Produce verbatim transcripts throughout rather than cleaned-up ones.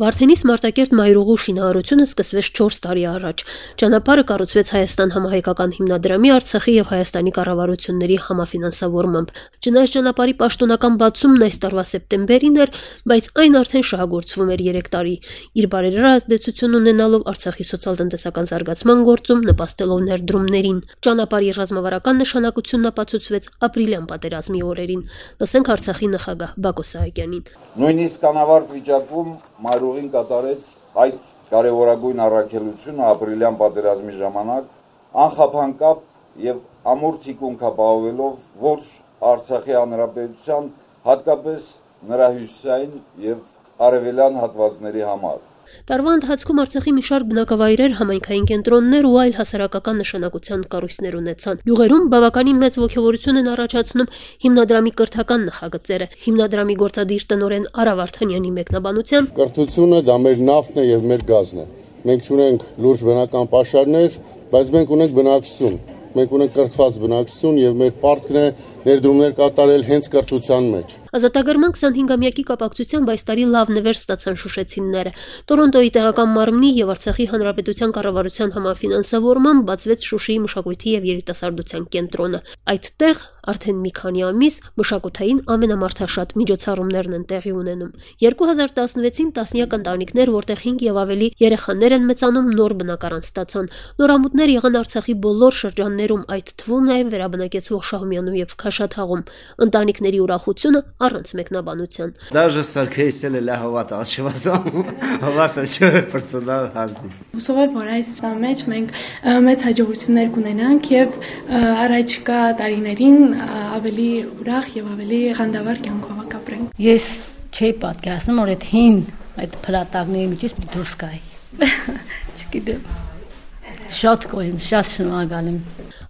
Վարդենիս Մարտակերտ մայրուղու շինարարությունը սկսվեց չորս տարի առաջ։ Ճանապարհը կառուցվեց Հայաստան համահայկական հիմնադրամի, Արցախի եւ Հայաստանի կառավարությունների համաֆինանսավորմամբ։ Չնայած ճանապարհի պաշտոնական բացումն այս տարվա սեպտեմբերին էր, բայց այն արդեն շահագործվում էր երեք տարի։ Իր բարերար ազդեցություն ունենալով Արցախի սոցիալ-տնտեսական զարգացման գործում, նպաստելով ներդրումներին։ Ճանապարհի ռազմավարական նշանակությունն ապացուցվեց ապրիլյան պատերազմի օրերին։ Լսենք Արցախի նախագահ Բակո Սահակյանին։ Նույնիսկ անավարտ վիճակում մայրուղին կատարեց այդ կարևորագույն առաքելությունը ապրիլյան պատերազմի ժամանակ անխափանկապ եւ ամուր թիկունք ապահովելով ողջ Արցախի հանրապետության, հատկապես նրա հյուսիսային եւ արևելյան հատվածների համար։ Տարվա ընթացքում Արցախի մի շարք բնակավայրեր, համայնքային կենտրոններ ու այլ հասարակական նշանակության կառույցներ ունեցան։ Յուղերում բավականին մեծ ոգևորություն են առաջացնում հիմնադրամի կրթական նախագծերը։ Հիմնադրամի գործադիր տնօրեն Արա Վարդանյանի մեկնաբանությամբ կրթությունը դա մեր նավթն է եւ մեր գազն է։ Մենք ունենք լուրջ բնական պաշարներ, բայց մենք ունենք բնակչություն։ Մենք ունենք կրթված բնակչություն եւ մեր պարտքն է ներդրումներ կատարել հենց կրթության մեջ։ Ազատագրման քսանհինգամյակի կապակցությամբ այս տարի լավ նվեր ստացան շուշեցիները։ Տորոնտոյի տեղական մարմնի եւ Արցախի հանրապետության կառավարության համաֆինանսավորմամբ բացվեց Շուշիի մշակույթի եւ երիտասարդության կենտրոնը։ Այդտեղ արդեն մի քանի ամիս մշակութային ամենամարդաշատ միջոցառումներն են տեղի ունենում։ երկու հազար տասնվեցին տասնյակ ընտանիքներ, որտեղ հինգ եւ ավելի երեխաներ են մեծանում, նոր բնակարան ստացան։ Նորամուտներ եղան Արցախի բոլոր շրջաններում, այդ թվում նաեւ վերաբնակեցվող Շահումյանում եւ Քաշաթաղում։ Ընտանիքների ուրախությունը առանց մեկնաբանության։ Даже սարքեյսել է լահովատ աշվազան, հավատը չէ պրծնալ հազնի։ Հուսով եմ, որ այս մեջ մենք մեծ հաջողություններ կունենանք եւ առաջիկա տարիներին ավելի ուրախ եւ ավելի խանդավառ կյանքով կապրենք։ Ես չէի պատկերացնում, որ այդ հին այդ փլատակների միջից դուրս գայի։ Չգիտեմ։ Շատ գոհ եմ, շատ շնորհակալ եմ։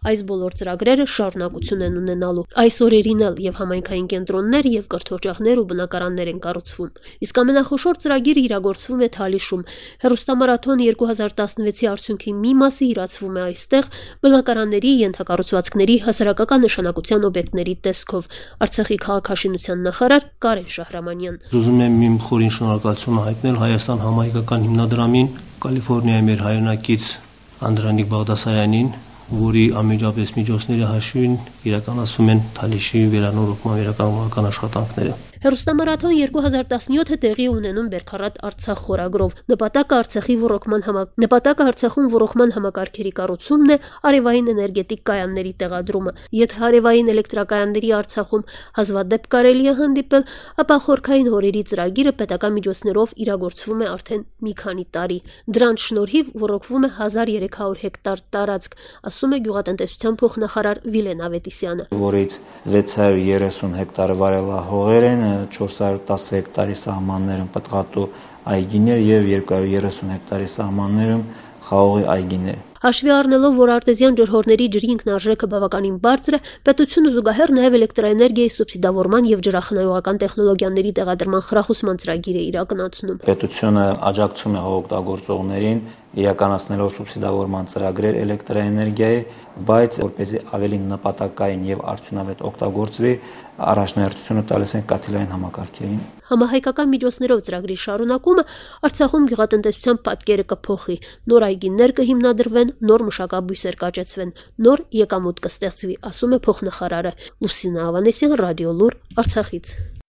Այս բոլոր ծրագրերը շարունակություն են ունենալու։ Այս օրերին էլ եւ համայնքային կենտրոններ եւ կրթօջախներ ու բնակարաններ են կառուցվում։ Իսկ ամենախոշոր ծրագիրը իրագործվում է Թալիշում։ Հեռուստամարաթոն երկու հազար տասնվեցի արդյունքի մի մասը իրացվում է այստեղ բնակարանների, ենթակառուցվածքների, հասարակական նշանակության օբյեկտների տեսքով։ Արցախի քաղաքաշինության նախարար Կարեն Շահրամանյան։ Ուզում եմ իմ խորին շնորհակալությունը հայտնել Հայաստան համահայկական հիմնադրամին, Կալիֆոռնիայի մեր հայրենակից Անդրանիկ Բաղդասարյանին, որի անմիջապես միջոցների հաշվին իրականացում են Թալիշի վերանորոգման վերականգնական աշխատանքները։ Հեռուստամարաթոն երկու հազար տասնյոթը տեղի ունենում Բերքարատ Արցախ խորագրով։ Նպատակը Արցախի ռոռոկման համակ Նպատակը Արցախում ռոռոկման համակարգերի կառուցումն է, արևային էներգետիկ կայանների տեղադրումը։ Եթե արևային էլեկտրակայանների Արցախում հազվադեպ կարելի է հանդիպել, ապա խորքային հորերի ծրագիրը պետական միջոցներով իրագործվում է արդեն մի քանի տարի։ Դրանց շնորհիվ ռոռոկվում է հազար երեք հարյուր հեկտար տարածք, ասում է գյուղատնտեսության փոխնախարար Վիլեն Ավետիսյանը։ Որից վեց հարյուր երեսուն հեկտարը վարելահողեր են, չորս հարյուր տասը հեկտարի սահմաններում պտղատու այգիներ եւ երկու հարյուր երեսուն հեկտարի սահմաններում խաղողի այգիներ։ Հաշվի առնելով, որ արտեզյան ջրհորների ջրի ինքնարժեքը բավականին բարձր է, պետությունը զուգահեռ նաև էլեկտրաէներգիայի սուբսիդավորման եւ ջրախնայողական տեխնոլոգիաների տեղադրման խրախուսման ծրագիր է իրականացնում։ Պետությունը աջակցում է հողօգտագործողներին իրականացնելով սուբսիդավորման ծրագրեր էլեկտրաէներգիայի, բայց որպեսզի ավելի նպատակային եւ արդյունավետ օգտագործվի, առաջնահերթությունը տալիս են կաթիլային համակարգերին։ Համահայկական միջոցներով ծրագրի շարունակումը Արցախում գյուղատնտեսության պատկերը կփոխի, նոր այգիներ կհիմնադրվեն, նոր մշակաբույսեր կաճեցվեն, նոր եկամուտ կստեղծվի, ասում է փոխնախարարը։ Լուսինա Ավանեսյան, Ռադիոլուր, Արցախից։